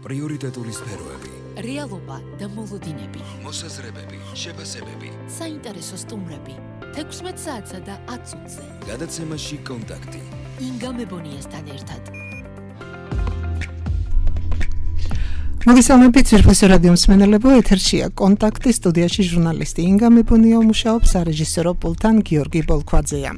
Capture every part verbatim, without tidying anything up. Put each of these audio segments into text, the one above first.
პრიორიტეტული სფეროები, რეალობა და მოლოდინები, მოსაზრებები, შეფასებები, საინტერესო სტუმრები, თექვსმეტ საათსა და ათ წუთზე. გადაცემაში კონტაქტი. ინგა მებონიასთან ერთად. მოგესალმებით ძვირფასო რადიო მსმენელებო, ეთერშია კონტაქტი, სტუდიაში ჟურნალისტი ინგა მებონია მუშაობს, სარეჟისორო პულტთან გიორგი ბოლქვაძეა.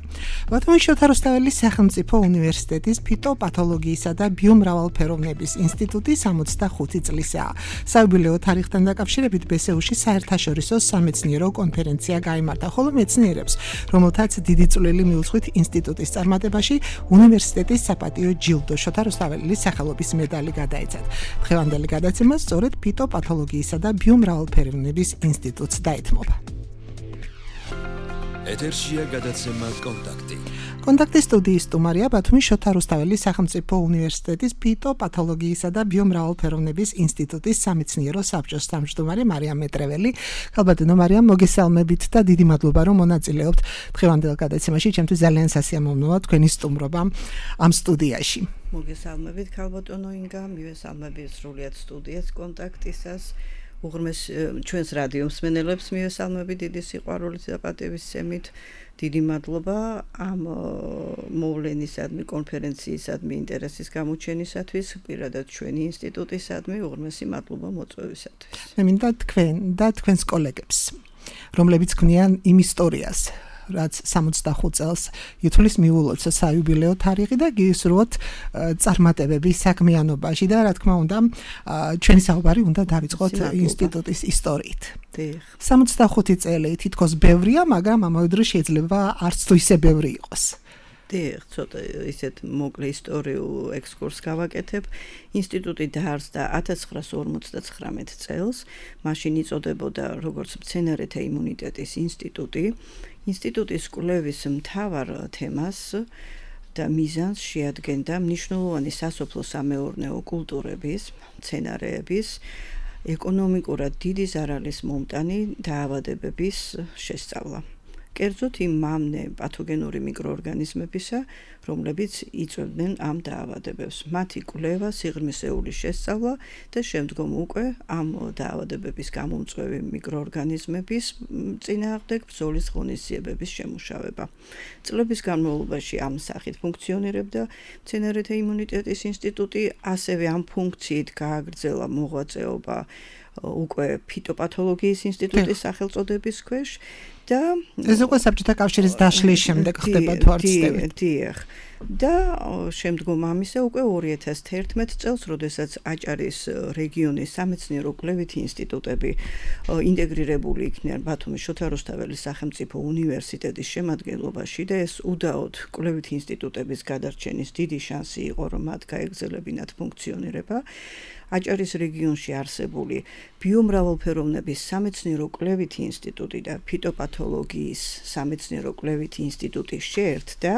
ბათუმის შოთა რუსთაველის სახელმწიფო უნივერსიტეტის ფიტოპათოლოგიისა და ბიომრავალფეროვნების ინსტიტუტი სამოცდახუთი წლისაა. საიუბილეო თარიღთან დაკავშირებით ბესეუში საერთაშორისო სამეცნიერო კონფერენცია გაიმართა, ხოლო მეცნიერებს, რომელთაც დიდი წვლილი მიუძღვით ინსტიტუტის წარმატებაში, უნივერსიტეტის საპატიო ჯილდო შოთა რუსთაველის სახელობის მედალი გადაეცათ. დღევანდელი გადაცემა სწორედ ფიტოპათოლოგიისა და ბიომრავალფეროვნების ინსტიტუტს დაეთმობა. ეთერშია გადაცემა კონტაქტი. კონტაქტის სტუდიის სტუმარია ბათუმის შოთა რუსთაველის სახელმწიფო უნივერსიტეტის ფიტოპათოლოგიისა და ბიომრავალფეროვნების ინსტიტუტის სამეცნიერო საბჭოს თავმჯდომარე მარიამ მეტრეველი. ქალბატონო მარიამ, მოგესალმებით და დიდი მადლობა, რომ მონაწილეობთ დღევანდელ გადაცემაში. ჩემთვის ძალიან სასიამოვნოა თქვენი სტუმრობა ამ სტუდიაში. მოგესალმებით ქალბატონო ინგა, მივესალმებით სრულიად სტუდიას კონტაქტისას. უღრმეს ჩვენს რადიო მსმენელებს მივესალმებით დიდი სიყვარულით და პატივისცემით. დიდი მადლობა ამ მოვლენისადმი, კონფერენციისადმი, ინტერესის გამოჩენისათვის, პირადად ჩვენი ინსტიტუტისადმი, უღრმესი მადლობა მოწვევისათვის. მე მინდა თქვენ და თქვენს კოლეგებს, რომლებიც ქმნიან იმ ისტორიას, რაც სამოცდახუთ წელს ითვლის მიულოცა საიუბილეო თარიღი და გისურვოთ წარმატებების საქმიანობაში და რა თქმა უნდა ჩვენი საუბარი უნდა დავიწყოთ ინსტიტუტის ისტორიით. სამოცდახუთი წელი თითქოს ბევრია, მაგრამ ამავე დროს შეიძლება არც თუ ისე ბევრი იყოს. დიახ, ცოტა ისეთ მოკლე ისტორიულ ექსკურსს გავაკეთებ. ინსტიტუტი დაარსდა ათას ცხრაასი ორმოცდაცხრამეტ წელს, მაშინ იწოდებოდა როგორც მცენარეთა იმუნიტეტის ინსტიტუტი. ინსტიტუტის კვლევის მთავარ თემას და მიზანს შეადგენდა მნიშვნელოვანი სასოფლო-სამეურნეო კულტურების, მცენარეების, ეკონომიკურად დიდი ზარალის მომტანი დაავადებების შესწავლა. კერძოდ იმ მამნე პათოგენური მიკროორგანიზმებისა, რომლებიც იწვევდნენ ამ დაავადებებს. მათი კვლევა, სიღრმისეული შესწავლა და შემდგომ უკვე ამ დაავადებების გამომწვევი მიკროორგანიზმების წინააღმდეგ ბრძოლის ღონისძიებების შემუშავება. წლების განმავლობაში ამ სახით ფუნქციონირებდა მცენარეთა იმუნიტეტის ინსტიტუტი, ასევე ამ ფუნქციით გააგრძელა მოღვაწეობა უკვე ფიტოპათოლოგიის ინსტიტუტის სახელწოდების ქვეშ და ეს უკვე საბჭოთა კავშირის დაშლის შემდეგ ხდება თუ არ ვცდებით. დიახ. და შემდგომ ამისა უკვე ორი ათას თერთმეტ წელს, როდესაც აჭარის რეგიონის სამეცნიერო კვლევითი ინსტიტუტები ინტეგრირებული იქნენ ბათუმის შოთა რუსთაველის სახელმწიფო უნივერსიტეტის შემადგენლობაში და ეს უდაოდ კვლევითი ინსტიტუტების გადარჩენის დიდი შანსი იყო, რომ მათ გაეგრძელებინათ ფუნქციონირება. აჭარის რეგიონში არსებული ბიომრავალფეროვნების სამეცნიერო კვლევითი ინსტიტუტი და ფიტოპათოლოგიის სამეცნიერო კვლევითი ინსტიტუტი შეერთდა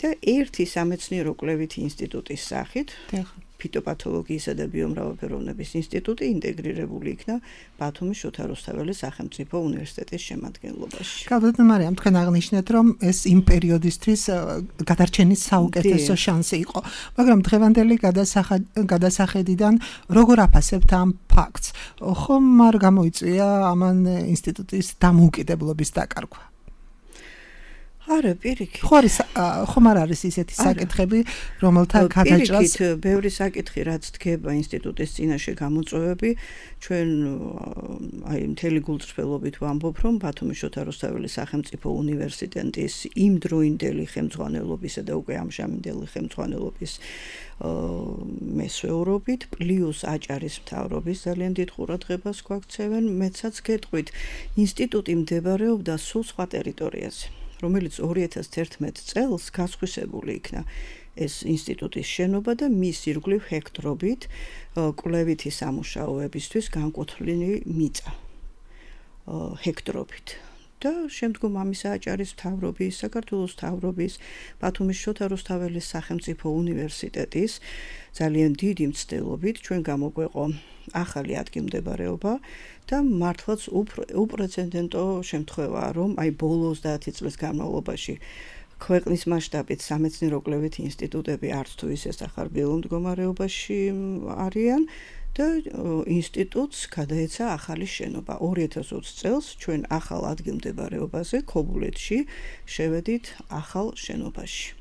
და ერთი სამეცნიერო კვლევითი ინსტიტუტის სახით ფიტოპათოლოგიისა და ბიომრავალფეროვნების ინსტიტუტი ინტეგრირებული იქნა ბათუმის შოთა რუსთაველის სახელმწიფო უნივერსიტეტის შემადგენლობაში. ქალბატონო მარიამ, თქვენ აღნიშნეთ, რომ ეს იმ პერიოდისთვის გადარჩენის საუკეთესო შანსი იყო, მაგრამ დღევანდელი გადასახედიდან როგორ აფასებთ ამ ფაქტს? ხომ არ გამოიწვია ამან ინსტიტუტის დამოუკიდებლობის დაკარგვა? არა, პირიქით. ხომ არ არის ისეთი საკითხები, რომელთა გადაჭრას პირიქით, ბევრი საკითხი, რაც დგება ინსტიტუტის წინაშე გამოწვევები, ჩვენ აი მთელი გულწრფელობით ვამბობ, რომ ბათუმის შოთა რუსთაველის სახელმწიფო უნივერსიტეტის იმდროინდელი ხელმძღვანელობისა და უკვე ამჟამინდელი ხელმძღვანელობის მესვეურობით, პლუს აჭარის მთავრობის ძალიან დიდ ყურადღებას გვაქცევენ, მეცაც გეტყვით, ინსტიტუტი მდებარეობდა სულ სხვა ტერიტორიაზე, რომელიც ორი ათას თერთმეტ წელს გასხვისებული იქნა ეს ინსტიტუტის შენობა და მის ირგვლივ ჰექტრობით კვლევითი სამუშაოებისთვის განკუთვნილი მიწა ჰექტრობით. და შემდგომ ამისა აჭარის მთავრობის, საქართველოს მთავრობის, ბათუმის შოთა რუსთაველის სახელმწიფო უნივერსიტეტის ძალიან დიდი მცდელობით ჩვენ გამოგვეყო ახალი ადგილმდებარეობა და მართლაც უპრეცედენტო შემთხვევაა, რომ აი ბოლო ოცდაათი წლის განმავლობაში ქვეყნის მასშტაბით სამეცნიერო კვლევითი ინსტიტუტები არც თუ ისე სახარბიელო მდგომარეობაში არიან და ინსტიტუტს გადაეცა ახალი შენობა. ორი ათას ოცი წელს ჩვენ ახალ ადგილმდებარეობაზე ქობულეთში შევედით ახალ შენობაში.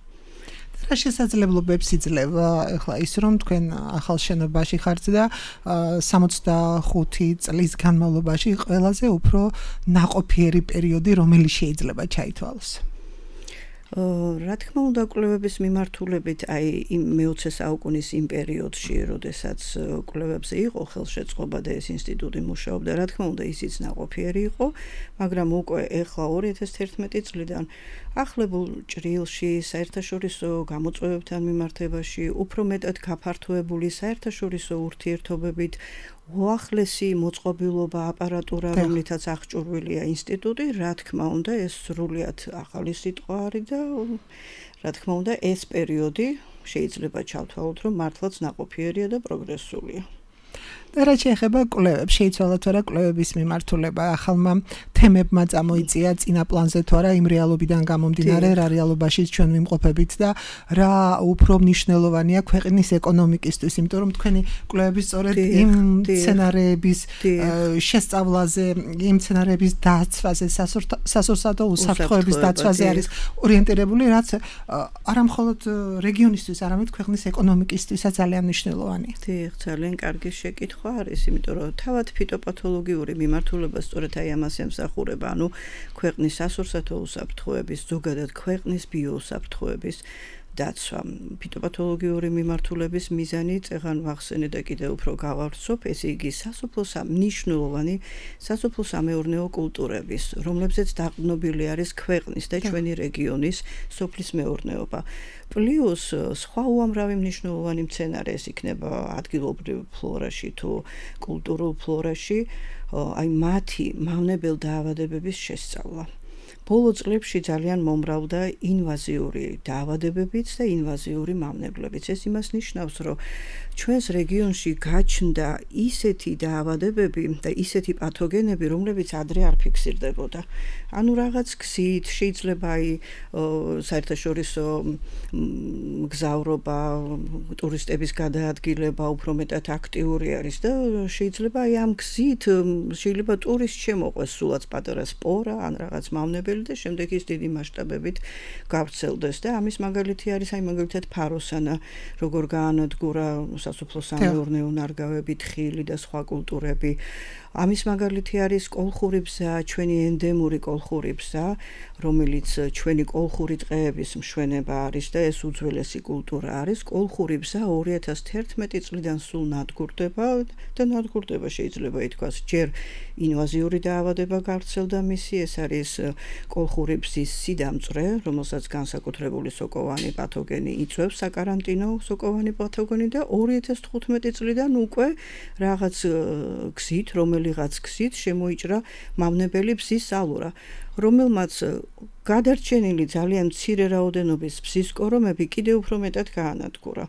რა შესაძლებლობებს იძლევა ახლა ის რომ თქვენ ახალ შენობაში ხართ და სამოცდახუთი წლის განმავლობაში ყველაზე უფრო ნაყოფიერი პერიოდი რომელიც შეიძლება ჩაითვალოს. რა თქმა უნდა კვლევების მიმართულებით აი იმ მეოცე საუკუნის იმ პერიოდში, როდესაც კვლევებზე იყო ხელშეწყობა და ეს ინსტიტუტი მუშაობდა, რა თქმა უნდა ისიც ნაყოფიერი იყო, მაგრამ უკვე ეხლა ორი ათას თერთმეტი წლიდან ახლებულ ჭრილში, საერთაშორისო გამოწვევებთან მიმართებაში, უფრო მეტად გაფართოებული საერთაშორისო ურთიერთობებით უახლესი მოწყობილობა აპარატურა, რომლითაც აღჭურვილია ინსტიტუტი, რა თქმა უნდა, ეს სრულიად ახალი სიტყვა არის და რა თქმა უნდა, ეს პერიოდი შეიძლება ჩავთვალოთ, რომ მართლაც ნაყოფიერია და პროგრესულია. და რაც შეეხება კვლევებს, შეიცვალათ რა კვლევების მიმართულება ახალმა თემებმა წამოიწია წინა პლანზე თუ არა იმ რეალობიდან გამომდინარე, რა რეალობაში ჩვენ ვიმყოფებით და რა უფრო მნიშვნელოვანია ქვეყნის ეკონომიკისთვის, იმიტომ რომ თქვენი კვლევები სწორედ იმ სცენარების შესწავლაზე, იმ სცენარების დაცვაზე, სასურსათო უსაფრთხოების დაცვაზე არის ორიენტირებული, რაც არა მხოლოდ რეგიონისთვის, არამედ ქვეყნის ეკონომიკისთვისაც ძალიან მნიშვნელოვანია. დიახ, ძალიან კარგი შეკითხვა არის, იმიტომ რომ თავად ფიტოპათოლოგიური მიმართულება სწორედ აი ამას ემსახურება, ანუ ქვეყნის სასურსათო უსაფრთხოების, ზოგადად ქვეყნის ბიოუსაფრთხოების დაცვა. ფიტოპათოლოგიური მიმართულების მიზანი წეღან ვახსენე და კიდევ უფრო გავავრცობ, ესე იგი სასოფლო მნიშვნელოვანი სასოფლო-სამეურნეო კულტურების, რომლებზეც დაყრდნობილი არის ქვეყნის და ჩვენი რეგიონის სოფლის მეურნეობა. პლუს სხვა უამრავი მნიშვნელოვანი მცენარე ეს იქნება ადგილობრივ ფლორაში თუ კულტურულ ფლორაში, აი მათი მავნებელ დაავადებების შესწავლა. ბოლო წლებში ძალიან მომრავლდა ინვაზიური დაავადებებიც და ინვაზიური მავნებლებიც. ეს იმას ნიშნავს, რომ ჩვენს რეგიონში გაჩნდა ისეთი დაავადებები და ისეთი პათოგენები, რომლებიც ადრე არ ფიქსირდებოდა. ანუ რაღაც გზით შეიძლება აი საერთაშორისო მგზავრობა, ტურისტების გადაადგილება უფრო მეტად აქტიური არის და შეიძლება აი ამ გზით შეიძლება ტურისტ შემოყვეს სულაც პატარა სპორა ან რაღაც მავნებელი და შემდეგ ის დიდი მასშტაბებით გავრცელდეს და ამის მაგალითი არის აი მაგალითად ფაროსანა, როგორ გაანადგურა სასოფლო-სამეურნეო ნარგავები, თხილი და სხვა კულტურები. ამის მაგალითი არის კოლხური ბზა, ჩვენი ენდემური კოლხური ბზა, რომელიც ჩვენი კოლხური ტყეების მშვენება არის და ეს უძველესი კულტურა არის. კოლხური ბზა ორი ათას თერთმეტი წლიდან სულ ნადგურდება და ნადგურდება შეიძლება ითქვას, ჯერ ინვაზიური დაავადება გავრცელდა მისი, ეს არის კოლხური ბზის სიდამწრე, რომელსაც განსაკუთრებული სოკოვანი პათოგენი იწვევს, საკარანტინო სოკოვანი პათოგენი და ორი ათას თხუთმეტი წლიდან უკვე რაღაც გზით, რომელიღაც გზით შემოიჭრა მავნებელი ბზის ალურა, რომელმაც გადარჩენილი ძალიან მცირე რაოდენობის ბზის კორომები კიდევ უფრო მეტად გაანადგურა.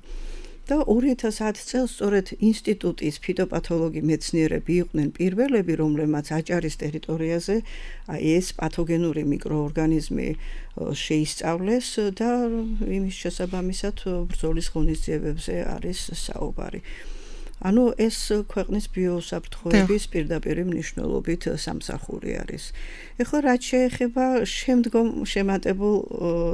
და ორი ათას ათი წელს სწორედ ინსტიტუტის ფიტოპათოლოგი მეცნიერები იყვნენ პირველები, რომლებმაც აჭარის ტერიტორიაზე აი ეს პათოგენური მიკროორგანიზმი შეისწავლეს და იმის შესაბამისად ბრძოლის ღონისძიებებზე არის საუბარი. ანუ ეს ქვეყნის ბიოუსაფრთხოების პირდაპირ მნიშვნელობით სამსახური არის. ეხლა რაც შეეხება შემდგომ შემატებულ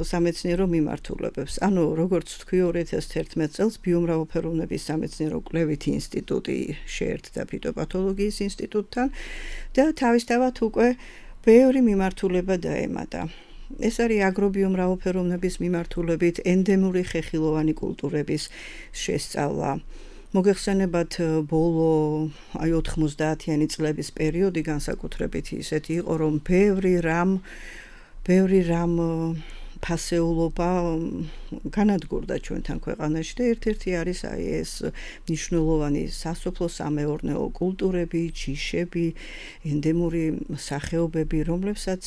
სამეცნიერო მიმართულებებს. ანუ როგორც თქვი ორი ათას თერთმეტი წელს ბიომრავალფეროვნების სამეცნიერო კვლევითი ინსტიტუტი შეერთდა ფიტოპათოლოგიის ინსტიტუტთან და თავისთავად უკვე ბევრი მიმართულება დაემატა. ეს არის აგრობიომრავალფეროვნების მიმართულებით ენდემური ხეხილოვანი კულტურების შესწავლა. მოგეხსენებათ ბოლო აი ოთხმოცდაათიანი წლების პერიოდი განსაკუთრებით ისეთი იყო, რომ ბევრი რამ ბევრი რამ ფასეულობა განადგურდა ჩვენთან ქვეყანაში და ერთ-ერთი არის აი ეს მნიშვნელოვანი სასოფლო-სამეურნეო კულტურები, ჯიშები, ენდემური სახეობები, რომლებსაც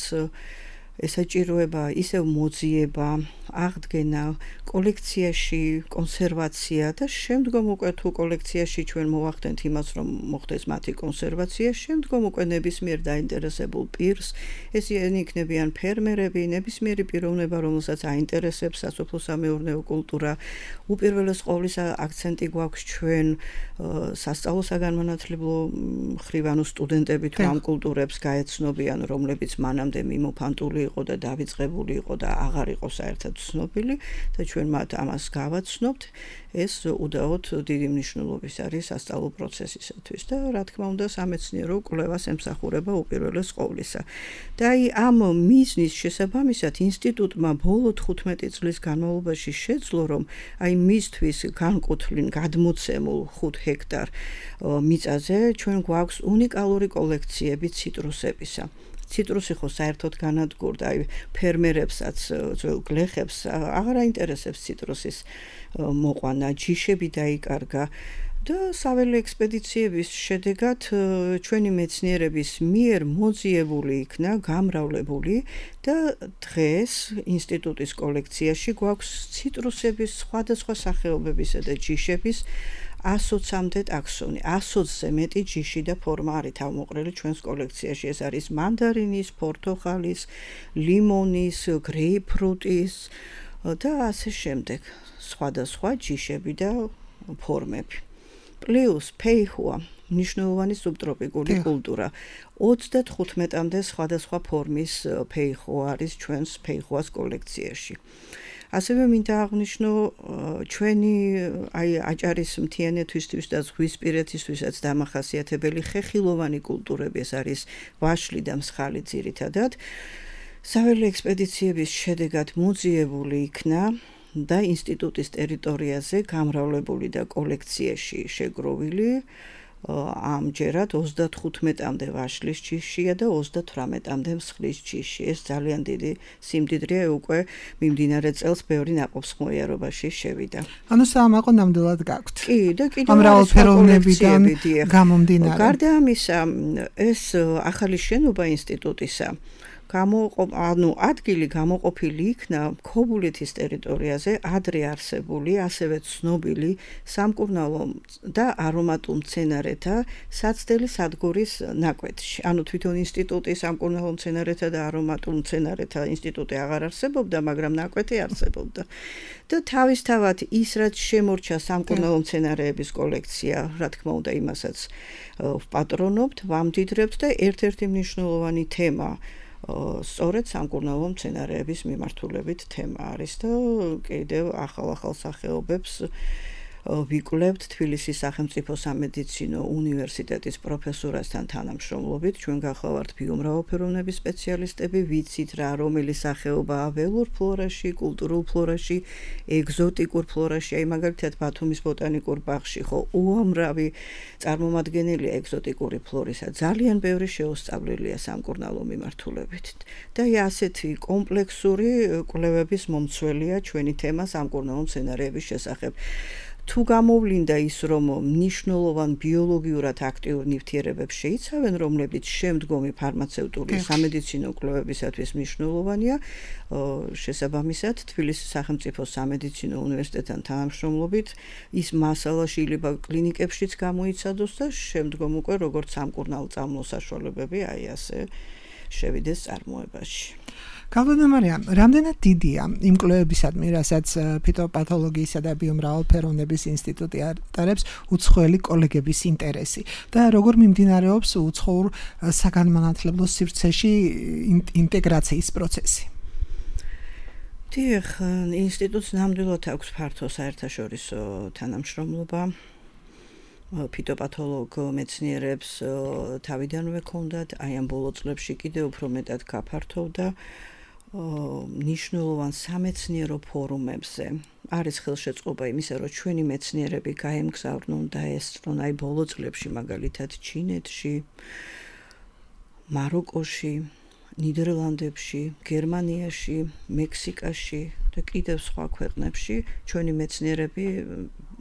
ესაჭიროება ისევ მოძიება, აღდგენა, კოლექციაში კონსერვაცია და შემდგომ უკვე თუ კოლექციაში ჩვენ მოვახდენთ იმას, რომ მოხდეს მათი კონსერვაცია, შემდგომ უკვე ნებისმიერ დაინტერესებულ პირს, ესენი იქნებიან ფერმერები, ნებისმიერი პიროვნება, რომელსაც აინტერესებს სასოფლო-სამეურნეო კულტურა. უპირველეს ყოვლისა აქცენტი გვაქვს ჩვენ სასწავლო საგანმანათლებლო მხრივ, ანუ სტუდენტები თუ ამ კულტურებს გაეცნობიან, რომლებიც მანამდე მიმოფანტული იყო და დავიწყებული იყო და აღარ იყო საერთოდ ცნობილი და ჩვენ მათ ამას გავაცნობთ, ეს უდაოდ დიდი მნიშვნელობის არის სასწავლო პროცესისათვის და რა თქმა უნდა სამეცნიერო კვლევას ემსახურება უპირველეს ყოვლისა. და აი ამ მიზნის შესაბამისად ინსტიტუტმა ბოლო თხუთმეტი წლის განმავლობაში შეძლო, რომ აი მისთვის განკუთვლილ გადმოცემულ ხუთ ჰექტარ მიწაზე ჩვენ გვაქვს უნიკალური კოლექციები ციტრუსებისა. ციტრუსი ხო საერთოდ განადგურდა, აი ფერმერებსაც, ძველ გლეხებს აღარ აინტერესებს ციტრუსის მოყვანა, ჯიშები დაიკარგა და საველე ექსპედიციების შედეგად ჩვენი მეცნიერების მიერ მოძიებული იქნა, გამრავლებული და დღეს ინსტიტუტის კოლექციაში გვაქვს ციტრუსების სხვადასხვა სახეობებისა და ჯიშების ასოცამდე ტაქსონი, ასოცზე მეტი ჯიში და ფორმა არის თავმოყრილი ჩვენს კოლექციაში. ეს არის მანდარინის, პორტოხალის, ლიმონის, გრეიპფრუტის და ასე შემდეგ. სხვადასხვა ჯიშები და ფორმები. პლუს ფეიხოა, მნიშვნელოვანი სუბტროპიკული კულტურა. ოცდათხუთმეტამდე სხვადასხვა ფორმის ფეიხო არის ჩვენს ფეიხოას კოლექციაში. ასევე მინდა აღვნიშნო ჩვენი აი აჭარის მთიანეთისთვის და ზღვისპირეთისთვისაც დამახასიათებელი ხეხილოვანი კულტურები, ეს არის ვაშლი და მსხალი ძირითადად. საველე ექსპედიციების შედეგად მოძიებული იქნა და ინსტიტუტის ტერიტორიაზე გამრავლებული და კოლექციაში შეგროვილი ამჯერად ოცდათხუთმეტამდე ვაშლის ჯიშია და ოცდათვრამეტამდე მსხლის ჯიში. ეს ძალიან დიდი სიმდიდრეა, უკვე მიმდინარე წელს ბევრი ნაყოფსხმოიარობაში შევიდა. ანუ საამაყო ნამდვილად გაქვთ. კი, და კიდევ ამ მრავალფეროვნებიდან გამომდინარე. გარდა ამისა, ეს ახალი შენობა ინსტიტუტისა გამოყოფ ანუ ადგილი გამოყოფილი იქნა ქობულეთის ტერიტორიაზე ადრე არსებული, ასევე ცნობილი სამკურნალო და არომატულ მცენარეთა საცდელი სადგურის ნაკვეთში. ანუ თვითონ ინსტიტუტი სამკურნალო მცენარეთა და არომატულ მცენარეთა ინსტიტუტი აღარ არსებობდა, მაგრამ ნაკვეთი არსებობდა. და თავისთავად ის, რაც შემორჩა სამკურნალო მცენარეების კოლექცია, რა თქმა უნდა, იმასაც ვპატრონობთ, ვამდიდრებთ და ერთ-ერთი მნიშვნელოვანი თემა სწორედ სამკურნალო მცენარეების მიმართულებით თემა არის და კიდევ ახალ-ახალ სახეობებს ვიკვლევთ თბილისის სახელმწიფო სამედიცინო უნივერსიტეტის პროფესორასთან თანამშრომლობით. ჩვენ გახლავართ ბიომრავალფეროვნების სპეციალისტები, ვიცით რა რომელი სახეობაა ველურ ფლორაში, კულტურულ ფლორაში, ეგზოტიკურ ფლორაში. აი მაგალითად ბათუმის ბოტანიკურ ბაღში ხო უამრავი წარმომადგენელია ეგზოტიკური ფლორისა. ძალიან ბევრი შეუსწავლელია სამკურნალო მიმართულებით. და აი ასეთი კომპლექსური კვლევების მომცველია ჩვენი თემა სამკურნალო მცენარეების შესახებ. თუ გამოვლინდა ის, რომ მნიშვნელოვან ბიოლოგიურად აქტიურ ნივთიერებებს შეიცავენ, რომლებიც შემდგომი ფარმაცევტული სამედიცინო კვლევებისათვის მნიშვნელოვანია, შესაბამისად თბილისის სახელმწიფო სამედიცინო უნივერსიტეტთან თანამშრომლობით ის მასალა შეიძლება კლინიკებშიც გამოიცადოს და შემდგომ უკვე როგორც სამკურნალო საშუალებები აი ასე შევიდეს წარმოებაში. გალბატონო მარიამ, რამდენად დიდია იმ კვლევებისადმი, რასაც ფიტოპათოლოგიისა და ბიომრავალფეროვნების ინსტიტუტი ატარებს უცხოელი კოლეგების ინტერესი და როგორ მიმდინარეობს უცხოურ საგანმანათლებლო სივრცეში ინტეგრაციის პროცესი? დიახ, ინსტიტუტს ნამდვილად აქვს ფართო საერთაშორისო თანამშრომლობა. ფიტოპათოლოგ მეცნიერებს თავიდანვე ჰქონდათ, აი ამ ბოლო წლებში კიდევ უფრო მეტად გაფართოვდა. ნიშნულოვან სამეცნიერო ფორუმებზე არის ხელშეწყობა იმისა, რომ ჩვენი მეცნიერები გაემგზავრნონ და ესწრონ აი ბოლო წლებში მაგალითად ჩინეთში, მაროკოში, ნიდერლანდებში, გერმანიაში, მექსიკაში და კიდევ სხვა ქვეყნებში ჩვენი მეცნიერები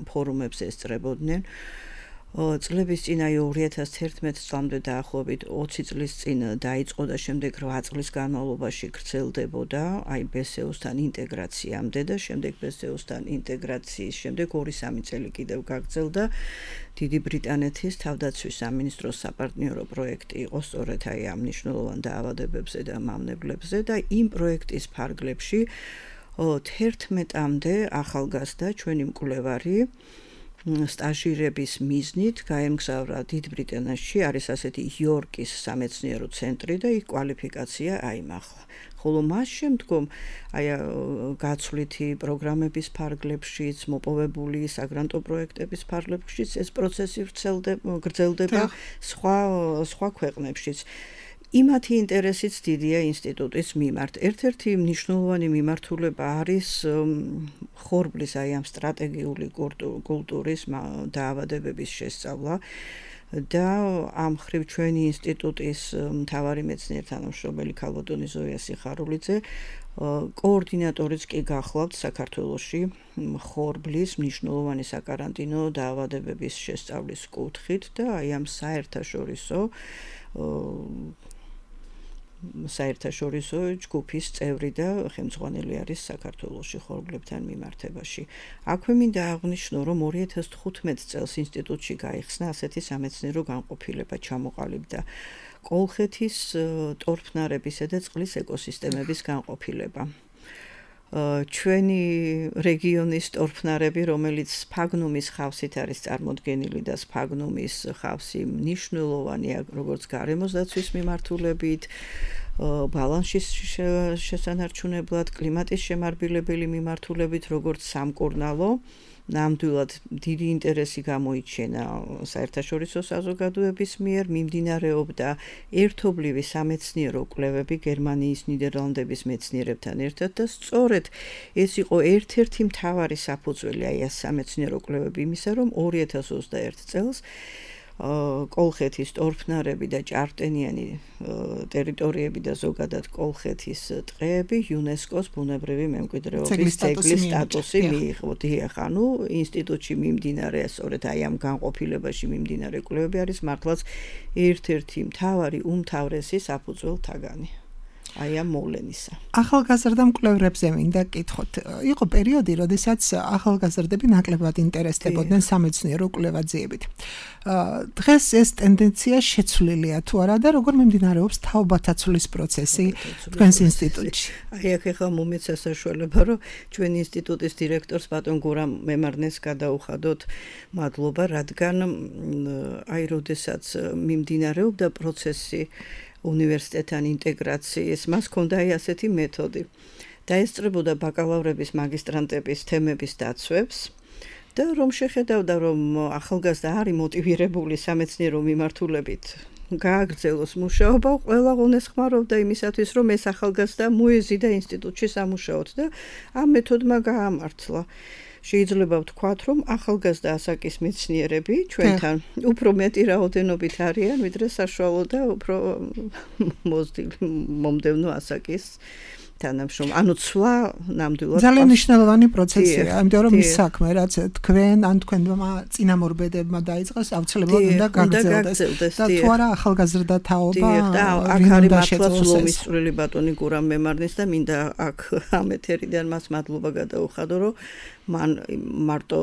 ფორუმებზე ესწრებოდნენ. წლების წინ აი ორი ათას თერთმეტ წლამდე დაახლოებით ოცი წლის წინ დაიწყო და შემდეგ რვა წლის განმავლობაში გრძელდებოდა აი ბესეოსთან ინტეგრაციამდე და შემდეგ ბესეოსთან ინტეგრაციის შემდეგ ორი სამი წელი კიდევ გაგრძელდა დიდი ბრიტანეთის თავდაცვის სამინისტროს საპარტნიორო პროექტი იყო სწორედ აი ამ მნიშვნელოვან დაავადებებზე და მავნებლებზე და იმ პროექტის ფარგლებში თერთმეტამდე ახალგაზრდა ჩვენი მკვლევარი სტაჟირების მიზნით გაემგზავრა დიდ ბრიტანეთში, არის ასეთი იორკის სამეცნიერო ცენტრი და იქ კვალიფიკაცია აიმახლა. ხოლო მას შემდგომ აი გაცვლითი პროგრამების ფარგლებშიც, მოპოვებული საგრანტო პროექტების ფარგლებშიც ეს პროცესი გრძელდება სხვა სხვა ქვეყნებშიც. იმათი ინტერესიც დიდია ინსტიტუტის მიმართ. ერთ-ერთი მნიშვნელოვანი მიმართულება არის ხორბლის აი ამ სტრატეგიული კულტურის დაავადებების შესწავლა და ამ ხრივ ჩვენი ინსტიტუტის მთავარი მეცნიერ თანამშრომელი ქალბატონი ზოია სიხარულიძე კოორდინატორიც კი გახლავთ საქართველოში ხორბლის მნიშვნელოვანი საკარანტინო დაავადებების შესწავლის კუთხით და აი ამ საერთაშორისო საერთაშორისო ჯგუფის წევრი და ხელმძღვანელი არის საქართველოში ხორბლებთან მიმართებაში. აქვე მინდა აღვნიშნო, რომ ორი ათას თხუთმეტ წელს ინსტიტუტში გაიხსნა ასეთი სამეცნიერო განყოფილება ჩამოყალიბდა კოლხეთის ტორფნარებისა და წყლის ეკოსისტემების განყოფილება. ჩვენი რეგიონის ტორფნარები, რომელიც სფაგნუმის ხავსით არის წარმოდგენილი და სფაგნუმის ხავსი მნიშვნელოვანია როგორც გარემოს დაცვის მიმართულებით, ბალანსის შესანარჩუნებლად, კლიმატის შემარბილებელი მიმართულებით, როგორც სამკურნალო. ნამდვილად დიდი ინტერესი გამოიჩენა საერთაშორისო საზოგადოების მიერ, მიმდინარეობდა ერთობლივი სამეცნიერო კვლევები გერმანიის, ნიდერლანდების მეცნიერებთან ერთად და სწორედ ეს იყო ერთ-ერთი მთავარი საფუძველი აი ეს სამეცნიერო კვლევები იმისა, რომ ორი ათას ოცდაერთ წელს კოლხეთის ტორფნარები და ჭარბტენიანი ტერიტორიები და ზოგადად კოლხეთის ტყეები იუნესკოს ბუნებრივი მემკვიდრეობის ძეგლის სტატუსი მიიღო. დიახ, ანუ ინსტიტუტში მიმდინარე, სწორედ აი ამ განყოფილებაში მიმდინარე კვლევები არის მართლაც ერთ-ერთი მთავარი უმთავრესი საფუძველთაგანი. აი ამ მოვლენისა. ახალგაზრდა მკვლევრებზე მინდა კითხოთ. იყო პერიოდი, როდესაც ახალგაზრდები ნაკლებად ინტერესდებოდნენ სამეცნიერო კვლევაძიებით. დღეს ეს ტენდენცია შეცვლილია თუ არა და როგორ მიმდინარეობს თაობათაცვლის პროცესი თქვენს ინსტიტუტში? აი აქ ახლა მომეცა საშუალება, რომ ჩვენი ინსტიტუტის დირექტორს ბატონ გურამ მემარნეს გადაუხადოთ მადლობა, რადგან აი როდესაც მიმდინარეობდა პროცესი უნივერსიტეტთან ინტეგრაციის, მას ჰქონდა აი ასეთი მეთოდი. დაესწრებოდა ბაკალავრების, მაგისტრანტების თემების დაცვებს და რომ შეხედავდა, რომ ახალგაზრდა არის მოტივირებული სამეცნიერო მიმართულებით გააგრძელოს მუშაობა, ყველა გულისხმობდა იმისათვის, რომ ეს ახალგაზრდა მოეზიდა ინსტიტუტში სამუშაოდ და ამ მეთოდმა გაამართლა. შეიძლება ვთქვათ, რომ ახალგაზრდა ასაკის მეცნიერები ჩვენთან უფრო მეტი რაოდენობით არიან, ვიდრე საშუალო და უფრო მოზრდილი მომდევნო ასაკის თანამშრომლები. ანუ ცვლა ნამდვილად ძალიან მნიშვნელოვანი პროცესია, იმიტომ რომ ის საქმე, რაც თქვენ ან თქვენმა წინამორბედებმა დაიწყეს, აუცილებლად უნდა გაგრძელდეს. და თუ არა ახალგაზრდა თაობა, და აქ არის მართლაც ლომისწვრილი ბატონი გურამ მემარნის და მინდა აქ ამ ეთერიდან მას მადლობა გადაუხადო, რომ მან მარტო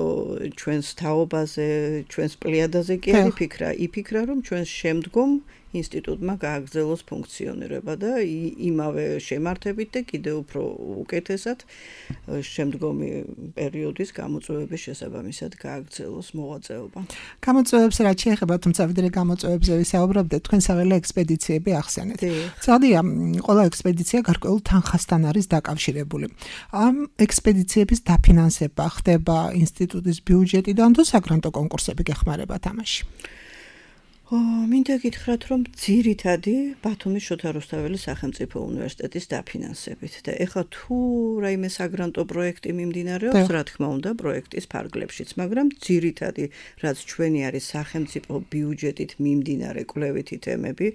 ჩვენს თაობაზე, ჩვენს პლიადაზე კი არ იფიქრა, იფიქრა, რომ ჩვენს შემდგომ ინსტიტუტმა გააგრძელოს ფუნქციონირება და იმავე შემართებით და კიდევ უფრო უკეთესად შემდგომი პერიოდის გამოწვევების შესაბამისად გააგრძელოს მოღვაწეობა. გამოწვევებს რაც შეეხება, თუმცა ვიდრე გამოწვევებზე ვისაუბრებდეთ, თქვენ საველე ექსპედიციები ახსენეთ. წადია, ყველა ექსპედიცია გარკვეულ თანხასთან არის დაკავშირებული. ამ ექსპედიციების დაფინანსება ხდება ინსტიტუტის ბიუჯეტიდან თუ საგრანტო კონკურსები გეხმარება თამაში? მინდა გითხრათ, რომ ძირითადი ბათუმის შოთა რუსთაველის სახელმწიფო უნივერსიტეტის დაფინანსებით და ეხლა თუ რაიმე საგრანტო პროექტი მიმდინარეობს, რა თქმა უნდა, პროექტის ფარგლებშიც, მაგრამ ძირითადი, რაც ჩვენი არის სახელმწიფო ბიუჯეტით მიმდინარე კვლევითი თემები,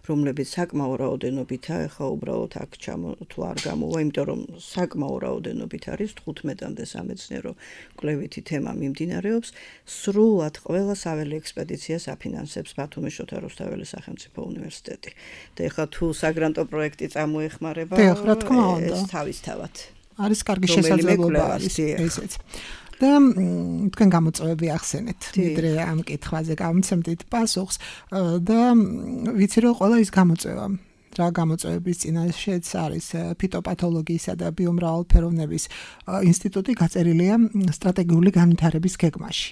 რომლებიც საკმაო რაოდენობითაა, ეხლა უბრალოდ აქ ჩამო თუ არ გამოვა, იმიტომ რომ საკმაო რაოდენობით არის თხუთმეტამდე სამეცნიერო კვლევითი თემა მიმდინარეობს, სრულად ყველა საველე ექსპედიციას აფინანსებს ბათუმის შოთა რუსთაველის სახელმწიფო უნივერსიტეტი. და ეხლა თუ საგრანტო პროექტი წამოეხმარება, ეს თავისთავად არის კარგი შესაძლებლობა ესეც. და თქვენ გამოწვევები ახსენეთ, ვიდრე ამ კითხვაზე გამცემდით პასუხს და ვიცი რომ ყველა ის გამოწვევა რა გამოწვევების წინაშეც არის ფიტოპათოლოგიისა და ბიომრავალფეროვნების ინსტიტუტი გაწერილია სტრატეგიული განვითარების გეგმაში.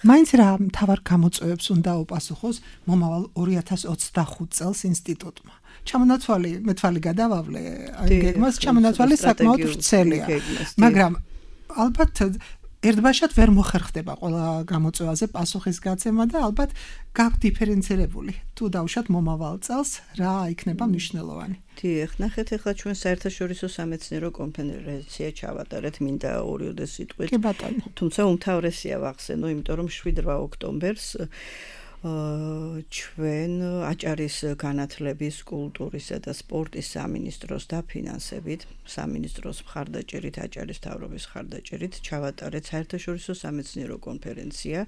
მაინც რა მთავარ გამოწვევებს უნდა უპასუხოს მომავალ ორი ათას ოცდახუთ წელს ინსტიტუტმა. ჩამონაცვალი მე თვალი გადავავლე აი გეგმას, ჩამონაცვალი საკმაოდ ვრცელია. მაგრამ ალბათ ერთბაშად ვერ მოხერხდება ყველა გამოწვევაზე პასუხის გაცემა და ალბათ გაქვთ დიფერენცირებული. თუ დავუშვათ მომავალ წელს რა იქნება მნიშვნელოვანი. დიახ, ნახეთ ახლა ჩვენ საერთაშორისო სამეცნიერო კონფერენცია ჩავატარეთ, მინდა ორიოდე სიტყვით. კი ბატონო. თუმცა უმთავრესია ვახსენო, იმიტომ რომ შვიდ-რვა ოქტომბერს ჩვენ აჭარის განათლების, კულტურისა და სპორტის სამინისტროს დაფინანსებით, სამინისტროს მხარდაჭერით, აჭარის მთავრობის მხარდაჭერით ჩავატარეთ საერთაშორისო სამეცნიერო კონფერენცია,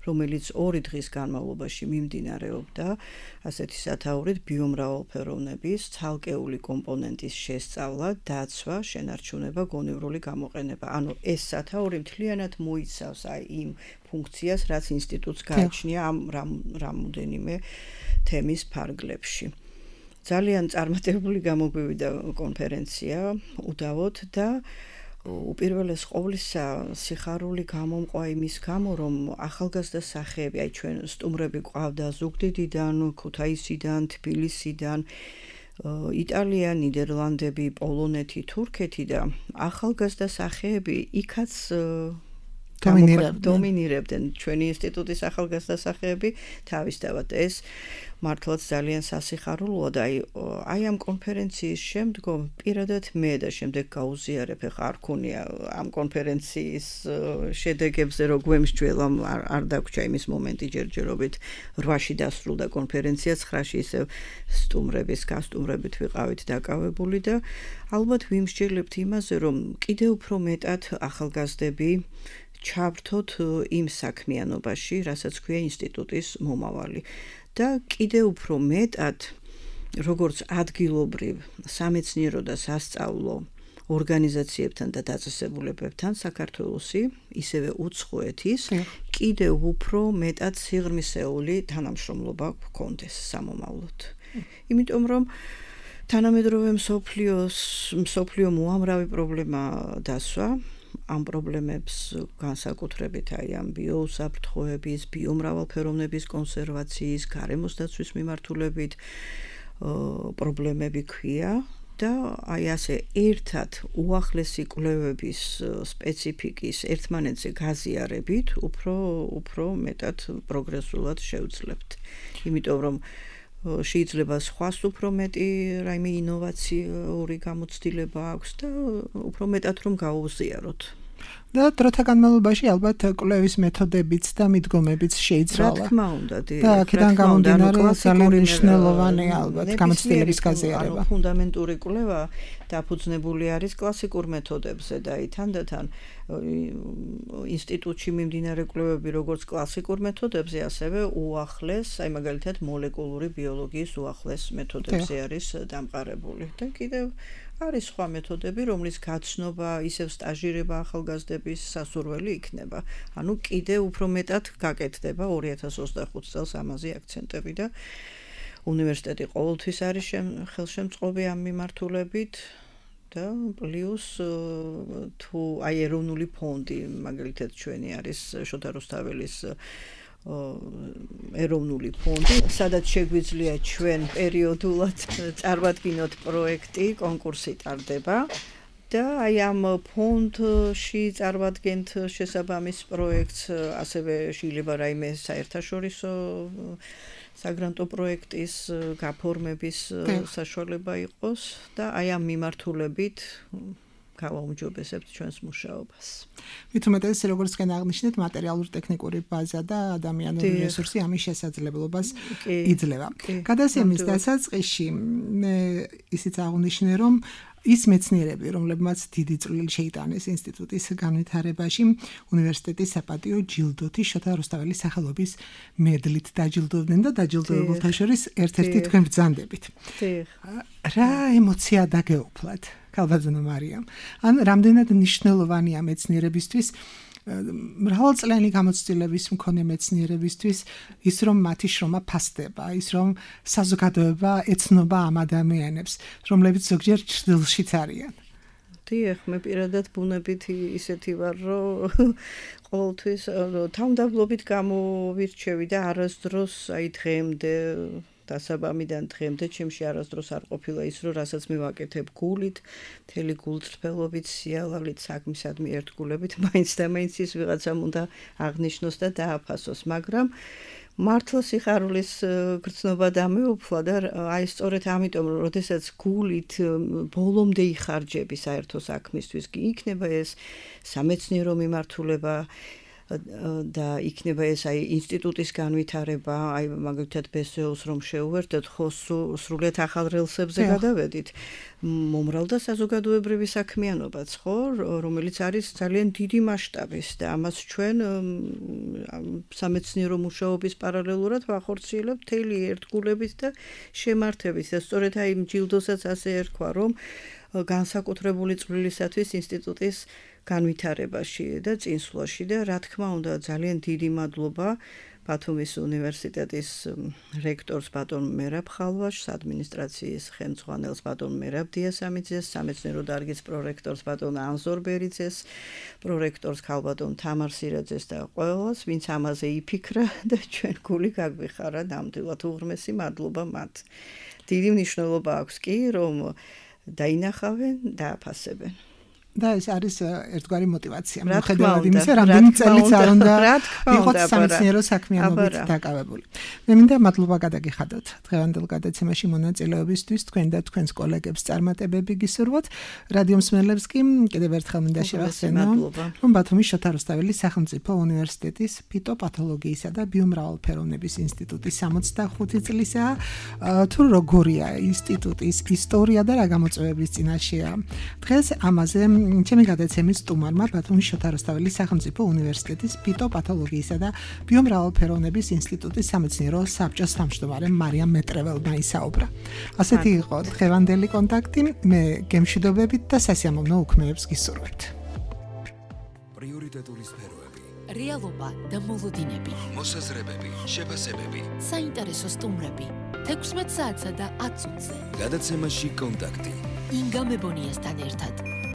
რომელიც ორი დღის განმავლობაში მიმდინარეობდა, ასეთი სათაურით ბიომრავალფეროვნების ცალკეული კომპონენტის შესწავლა, დაცვა, შენარჩუნება, გონივრული გამოყენება. ანუ ეს სათაური მთლიანად მოიცავს აი იმ ფუნქციას, რაც ინსტიტუტს გააჩნია ამ რამოდენიმე თემის ფარგლებში. ძალიან წარმატებული გამოგვივიდა კონფერენცია, უდავოდ და უპირველეს ყოვლისა სიხარული გამომყვა იმის გამო, რომ ახალგაზრდა სახეები, აი ჩვენ სტუმრები გვყავდა ზუგდიდიდან, ქუთაისიდან, თბილისიდან, იტალია, ნიდერლანდები, პოლონეთი, თურქეთი და ახალგაზრდა სახეები იქაც დომინირებდნენ. ჩვენი ინსტიტუტის ახალგაზრდა სახეები თავისთავად ეს მართლაც ძალიან სასიხარულოა და აი აი ამ კონფერენციის შემდგომ პირადად მე და შემდეგ გაუზიარებ, ხა არ ქონია ამ კონფერენციის შედეგებზე რო გვემსჯველა, არ დაგვრჩა იმის მომენტი ჯერჯერობით რვაში დასრულდა კონფერენცია, ცხრაში ისევ სტუმრების გასტუმრებით ვიყავით დაკავებული და ალბათ ვიმსჯელებთ იმაზე, რომ კიდევ უფრო მეტად ახალგაზრდები ჩავრთოთ იმ საქმიანობაში, რასაც ქვია ინსტიტუტის მომავალი. და კიდევ უფრო მეტად, როგორც ადგილობრივ სამეცნიერო და სასწავლო ორგანიზაციებთან და დაწესებულებებთან საქართველოსი, ისევე უცხოეთის, კიდევ უფრო მეტად სიღრმისეული თანამშრომლობა გქონდეს სამომავლოდ. იმიტომ რომ თანამედროვე მსოფლიოს მსოფლიო უამრავი პრობლემა დასვა, ამ პრობლემებს განსაკუთრებით აი ამ ბიოუსაფრთხოების, ბიომრავალფეროვნების კონსერვაციის, გარემოს დაცვის მიმართულებით პრობლემები ქვია და აი ასე ერთად უახლესი კვლევების სპეციფიკის ერთმანეთზე გაზიარებით უფრო უფრო მეტად პროგრესულად შევძლებთ. იმიტომ რომ შეიძლება სხვას უფრო მეტი რაიმე ინოვაციური გამოცდილება აქვს და უფრო მეტად რომ გაუზიაროთ. და დროთა განმავლობაში ალბათ კვლევის მეთოდებიც და მიდგომებიც შეიცვალა. რა თქმა უნდა, და აქედან გამომდინარე ძალიან მნიშვნელოვანი ალბათ გამოცდილების გაზიარება. ანუ ფუნდამენტური კვლევა დაფუძნებული არის კლასიკურ მეთოდებზე და აი თანდათან ინსტიტუტში მიმდინარე კვლევები როგორც კლასიკურ მეთოდებზე, ასევე უახლეს, აი მაგალითად მოლეკულური ბიოლოგიის უახლეს მეთოდებზე არის დამყარებული. და კიდევ არის სხვა მეთოდები, რომლის გაცნობა, ისევ სტაჟირება ახალგაზრდების სასურველი იქნება. ანუ კიდევ უფრო მეტად გაკეთდება ორი ათას ოცდახუთ წელს ამაზე აქცენტები და უნივერსიტეტი ყოველთვის არის ხელშემწყობი ამ მიმართულებით და პლუს თუ აი ეროვნული ფონდი, მაგალითად ჩვენი არის შოთა რუსთაველის ეროვნული ფონდი, სადაც შეგვიძლია ჩვენ პერიოდულად წარმატკინოთ პროექტი, კონკურსი ტარდება და აი ამ ფონდში წარმატგენთ შესაბამის პროექტს, ასევე შეიძლება რაიმე საერთაშორისო საგრანტო პროექტის გაფორმების საშუალება იყოს და აი ამ მიმართულებით გავაუმჯობესებთ ჩვენს მუშაობას. Ვითომეტეს როგორც კენ აღნიშნეთ, მატერიალურ-ტექნიკური ბაზა და ადამიანური რესურსი ამის შესაძლებლობას იძლევა. გადასემის დასაწყისში მე ისიც აღნიშნე, რომ ის მეცნიერები, რომლებმაც დიდი წვლილი შეიტანეს ინსტიტუტის განვითარებაში, უნივერსიტეტის საპატიო ჯილდოთი შოთა რუსთაველის სახელობის მედლით დაჯილდოვდნენ და დაჯილდოებულთა შორის ერთ-ერთი თქვენ ბრძანდებით. რა ემოცია დაგეუფლათ? ქალბატონო მარიამ. ან რამდენად მნიშვნელოვანია მეცნიერებისთვის მრავალწლიანი გამოცდილების მქონე მეცნიერებისთვის ის რომ მათი შრომა ფასდება, ის რომ საზოგადოება ეცნობა ამ ადამიანებს, რომლებიც ზოგჯერ ჩრდილშიც არიან. დიახ, მე პირადად ბუნებით ისეთი ვარ, რომ ყოველთვის თავმდაბლობით გამოვირჩევი და არასდროს აი დღემდე დასაბამიდან დღემდე ჩემში არასდროს არ ყოფილა ის, რომ რასაც მე ვაკეთებ გულით, მთელი გულწრფელობით, სიალავლით, საქმისადმი ერთგულებით, მაინც და მაინც ის ვიღაცამ უნდა აღნიშნოს და დააფასოს, მაგრამ მართლა სიხარულის გრძნობა დამეუფლა და აი სწორედ ამიტომ, რომ როდესაც გულით ბოლომდე იხარჯები საერთო საქმისთვის, იქნება ეს სამეცნიერო მიმართულება და იქნება ეს აი ინსტიტუტის განვითარება, აი მაგალითად ბესეოს რომ შეუერთდეთ, ხო სრულიად ახალ რელსებზე გადავედით. მომრალ და საზოგადოებრივი საქმიანობაც, ხო, რომელიც არის ძალიან დიდი მასშტაბის და ამას ჩვენ სამეცნიერო მუშაობის პარალელურად ვახორციელებთ მთელი ერთგულებით და შემართებით. და სწორედ აი ჯილდოსაც ასე ერქვა, რომ განსაკუთრებული წვლილისათვის ინსტიტუტის განვითარებაში და წინსვლაში და რა თქმა უნდა ძალიან დიდი მადლობა ბათუმის უნივერსიტეტის რექტორს ბატონ მერაბ ხალვაშს, ადმინისტრაციის ხელმძღვანელს ბატონ მერაბ დიასამიძეს, სამეცნიერო დარგის პრორექტორს ბატონ ანზორ ბერიძეს, პრორექტორს ქალბატონ თამარ სირაძეს და ყველას, ვინც ამაზე იფიქრა და ჩვენ გული გაგვიხარა ნამდვილად უღრმესი მადლობა მათ. დიდი მნიშვნელობა აქვს კი, რომ დაინახავენ, დააფასებენ. და ეს არის ერთგვარი мотиваცია. მიუხედავად იმისა, რამდენი წელიც არ უნდა იყოს სამეცნიერო საქმიანობით დაკავებული. მე მინდა მადლობა გადაგიხადოთ დღევანდელ გადაცემაში მონაწილეობისთვის, თქვენ და თქვენს კოლეგებს წარმატებები გისურვოთ. რადიო მსმენელებს კი კიდევ ერთხელ მინდა შევახსენო, რომ ბათუმის შოთა რუსთაველის სახელმწიფო უნივერსიტეტის ფიტოპათოლოგიისა და ბიომრავალფეროვნების ინსტიტუტის სამოცდახუთი წლისაა. თუ როგორია ინსტიტუტის ისტორია და რა გამოწვევების წინაშეა. დღეს ამაზე ჩემი გადაცემის სტუმარმა ბათუმის შოთა რუსთაველის სახელმწიფო უნივერსიტეტის ფიტოპათოლოგიისა და ბიომრავალფეროვნების ინსტიტუტის სამეცნიერო საბჭოს თავმჯდომარე მარიამ მეტრეველმა ისაუბრა. ასეთი იყო დღევანდელი კონტაქტი. მე გემშვიდობებით და სასიამოვნო უქმეებს გისურვებთ. პრიორიტეტული სფეროები, რეალობა და მოლოდინები, მოსაზრებები, შეფასებები, საინტერესო სტუმრები, თექვსმეტ საათსა და ათ წუთზე. გადაცემაში კონტაქტი. ინგა მებონიასთან ერთად.